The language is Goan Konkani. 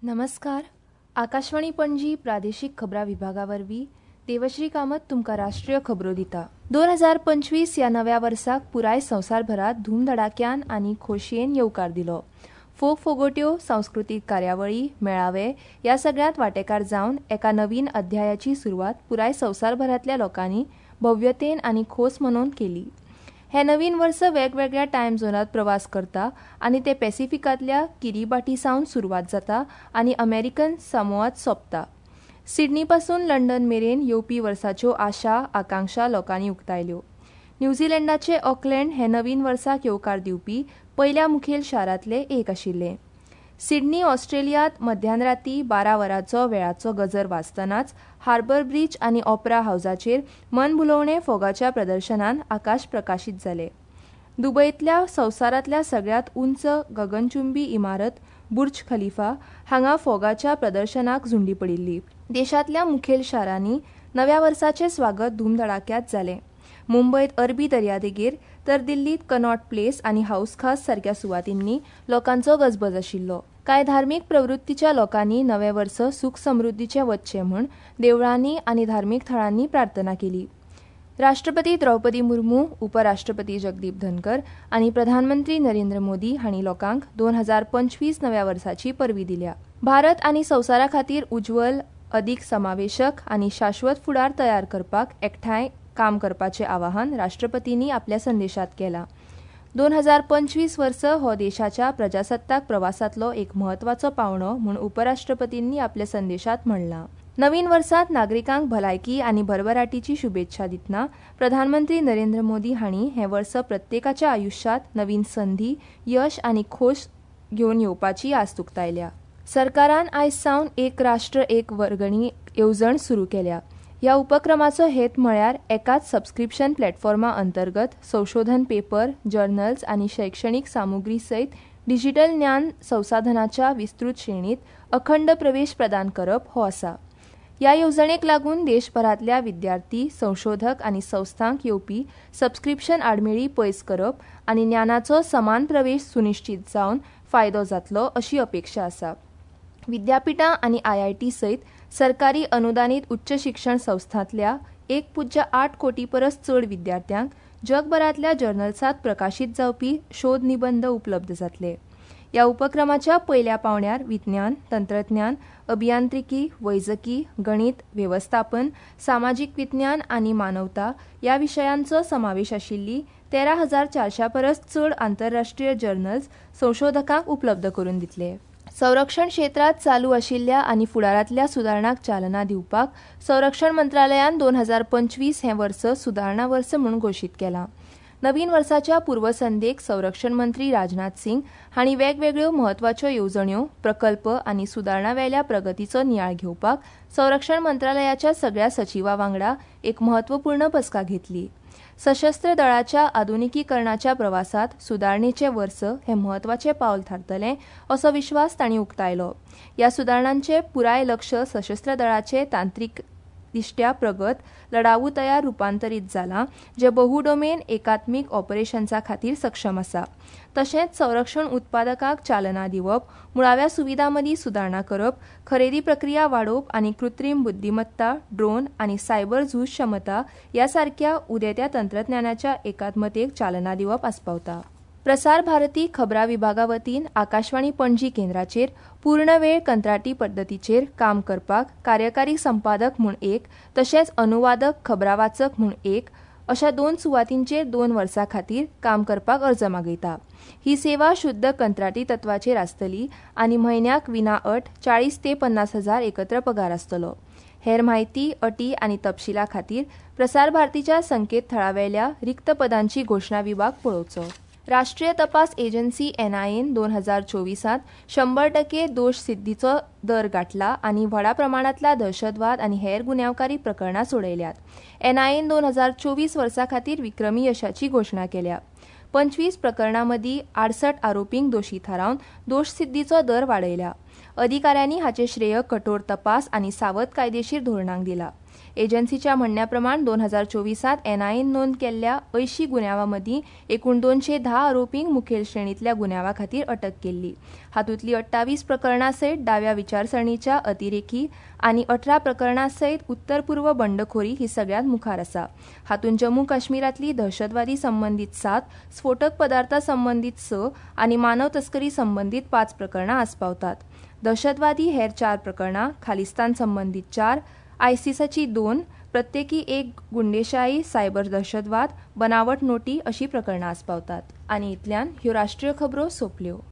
नमस्कार. आकाशवाणी पणजी प्रादेशीक खबरां विभागा वरवीं देवश्री कामत तुमकां राष्ट्रीय खबरो दिता. 2025 ह्या नव्या वर्साक पुराय संवसारभरांत धूमधडाक्यान आनी खोशयेन येवकार दिलो. फोग फोगोट्यो, सांस्कृतीक कार्यावळी, मेळावे ह्या सगळ्यांत वांटेकार जावन एका नवीन अध्यायाची सुरवात पुराय संवसारभरांतल्या लोकांनी भव्यतेन आनी खोस मनोवन केली. हें नवीन वर्स वेगवेगळ्या टायम झोनांत प्रवास करता आनी ते पॅसिफिकांतल्या किरीबाटी सावन सुरवात जाता आनी अमेरिकन सामोआत सोंपता. सिडनी पासून लंडन मेरेन येवपी वर्साच्यो आशा, आकांक्षा लोकांनी उक्तायल्यो. न्यूझीलंडाचे ऑकलँड हें नवीन वर्साक येवकार दिवपी पयल्या मुखेल शारांतलें एक आशिल्लें. सिडनी ऑस्ट्रेलियांत मध्यानराती 12 वरांचो वेळाचो गजर वाजतनाच हार्बर ब्रिज आनी ऑपरा हावजाचेर मनभुलोवणे फोगाच्या प्रदर्शनान आकाश प्रकाशीत जालें. दुबयतल्या संवसारांतल्या सगळ्यांत उंच गगनचुंबी इमारत बुर्ज खलिफा हांगा फोगाच्या प्रदर्शनाक झुंडी पडिल्ली. देशांतल्या मुखेल शारांनी नव्या वर्साचें स्वागत धूमधडाक्यांत जालें. मुंबयत अरबी दर्यादेगेर तर दिल्लीत कनॉट प्लेस आनी हाऊस खास सारक्या सुवातींनी लोकांचो गजबज आशिल्लो. कांय धार्मीक प्रवृत्तीच्या लोकांनी नवें वर्स सुख समृद्धीचें वच्चें म्हूण देवळांनी आनी धार्मीक थळांनी प्रार्थना केली. राष्ट्रपती द्रौपदी मुर्मू, उपराष्ट्रपती जगदीप धनकर आनी प्रधानमंत्री नरेंद्र मोदी हांणी लोकांक 2025 नव्या वर्साची परबीं दिल्या. भारत आनी संवसारा खातीर उज्ज्वल, अदीक समावेशक आनी शाश्वत फुडार तयार करपाक एकठांय काम करपाचें आवाहन राष्ट्रपतींनी आपल्या संदेशांत केलां. 2025 वर्स हो देशाच्या प्रजासत्ताक प्रवासांतलो एक म्हत्वाचो पावंडो म्हूण उपराष्ट्रपतींनी आपल्या संदेशांत म्हणलां. नवीन वर्सांत नागरिकांक भलायकी आनी भरभराटीची शुभेच्छा दितना प्रधानमंत्री नरेंद्र मोदी हांणी हें वर्स प्रत्येकाच्या आयुश्यांत नवीन संदी, यश आनी खोस घेवन येवपाची आस्त उक्तायल्या. सरकारान आयज सावन एक राष्ट्र एक वर्गणी येवजण सुरू केल्या. ह्या उपक्रमाचो हेत म्हळ्यार एकाच सबस्क्रिप्शन प्लॅटफॉर्मा अंतर्गत संशोधन पेपर, जर्नल्स आनी शैक्षणीक सामुग्री सयत डिजिटल ज्ञान संसाधनाच्या विस्तृत श्रेणीत अखंड प्रवेश प्रदान करप हो आसा. ह्या येवजणेक लागून देशभरांतल्या विद्यार्थी, संशोधक आनी संस्थांक येवपी सबस्क्रिप्शन आडमेळी पयस करप आनी ज्ञानाचो समान प्रवेश सुनिश्चित जावन फायदो जातलो अशी अपेक्षा आसा. विद्यापीठां आनी आयआयटी सयत सरकारी अनुदानीत उच्च शिक्षण संस्थांतल्या 1.8 कोटी परस चड विद्यार्थ्यांक जगभरांतल्या जर्नल्सांत प्रकाशीत जावपी शोध निबंद उपलब्ध जातले. ह्या उपक्रमाच्या पयल्या पावंड्यार विज्ञान, तंत्रज्ञान, अभियांत्रिकी, वैजकी, गणित, वेवस्थापन, सामाजीक विज्ञान आनी मानवता ह्या विशयांचो समावेश आशिल्ली 13,400 परस चड आंतरराष्ट्रीय जर्नल्स संशोधकांक उपलब्ध करून दितले. संरक्षण क्षेत्रांत चालू आशिल्ल्या आनी फुडारांतल्या सुदारणांक चालना दिवपाक संरक्षण मंत्रालयान 2025 हें वर्स सुदारणा वर्स म्हूण घोशीत केलां. नवीन वर्साच्या पूर्वसंध्येक संरक्षण मंत्री राजनाथ सिंग हांणी वेगवेगळ्यो म्हत्वाच्यो येवजण्यो, प्रकल्प आनी सुदारणा वेल्या प्रगतीचो नियाळ घेवपाक संरक्षण मंत्रालयाच्या सगळ्या सचिवा वांगडा एक म्हत्वपूर्ण बसका घेतली. सशस्त्र दळाच्या आधुनिकीकरणाच्या प्रवासात सुदारणेचें वर्स हें म्हत्वाचें पावल थारतलें असो विश्वास तांणी उक्तायलो. ह्या सुदारणांचें पुराय लक्ष सशस्त्र दळाचे तांत्रीक दिश्ट्या प्रगत, लढाऊ तयार रुपांतरीत जालां, जे बहुडोमेन एकात्मीक ऑपरेशन्सा खातीर सक्षम आसा. तशेंच संरक्षण उत्पादकांक चालना दिवप, मुळाव्या सुविधां मदीं सुदारणा करप, खरेदी प्रक्रिया वाडोवप आनी कृत्रीम बुद्धिमत्ता, ड्रोन आनी सायबर झूज क्षमता ह्या सारक्या उदेत्या तंत्रज्ञानाच्या एकात्मतेक चालना दिवप आस्पावता. प्रसार भारती खबरां विभागा वतीन आकाशवाणी पणजी केंद्राचेर पूर्णवेळ कंत्राटी पद्दतीचेर काम करपाक कार्यकारी संपादक म्हूण एक, तशेंच अनुवादक खबरावाचक म्हूण एक अशा 2 सुवातींचेर 2 वर्सां खातीर काम करपाक अर्ज मागयता. ही सेवा शुद्ध कंत्राटी तत्वाचेर आसतली आनी म्हयन्याक विना अट 40 ते 50 हजार एकत्र पगार आसतलो. हेर म्हायती, अटी आनी तपशिला खातीर प्रसार भारतीच्या संकेतथळावेल्या रिक्त पदांची घोशणा विभाग पळोवचो. राष्ट्रीय तपास एजन्सी एनआयएन 2024 100% दोश सिद्धीचो दर गाठला आनी व्हडा प्रमाणांतला दहशतवाद आनी हेर गुन्यांवकारी प्रकरणां सोडयल्यात. एनआयएन 2024 वर्सा खातीर विक्रमी यशाची घोशणा केल्या. 25 प्रकरणां मदीं 68 आरोपींक दोशी थारावन दोशसिद्धीचो दर वाडयला. अधिकाऱ्यांनी हाचें श्रेय कठोर तपास आनी सावध कायदेशीर धोरणांक दिला. एजन्सीच्या म्हणण्या प्रमाण 2024त एनआयएन नोंद केल्ल्या 80 गुन्यांवा मदीं एकूण 210 आरोपींक मुखेल श्रेणींतल्या गुन्यांवा खातीर अटक केल्ली. हातूंतली 28 प्रकरणां सयत डाव्या विचारसरणीच्या अतिरेकी आनी 18 प्रकरणां सयत उत्तर पूर्व बंडखोरी ही सगळ्यांत मुखार आसा. हातूंत जम्मू काश्मीरांतली दहशतवादी संबंदीत 7, स्फोटक पदार्था संबंदीत 6 आनी मानव तस्करी संबंदीत 5 प्रकरणां आस्पावतात. दहशतवादी हेर 4 प्रकरणां, खालिस्तान संबंदीत 4, आयसीसाची 2, प्रत्येकी 1 गुंडेशाही, सायबर दहशतवाद, बनावट नोटी अशी प्रकरणां आस्पावतात. आनी इतल्यान ह्यो राष्ट्रीय खबरो सोंपल्यो.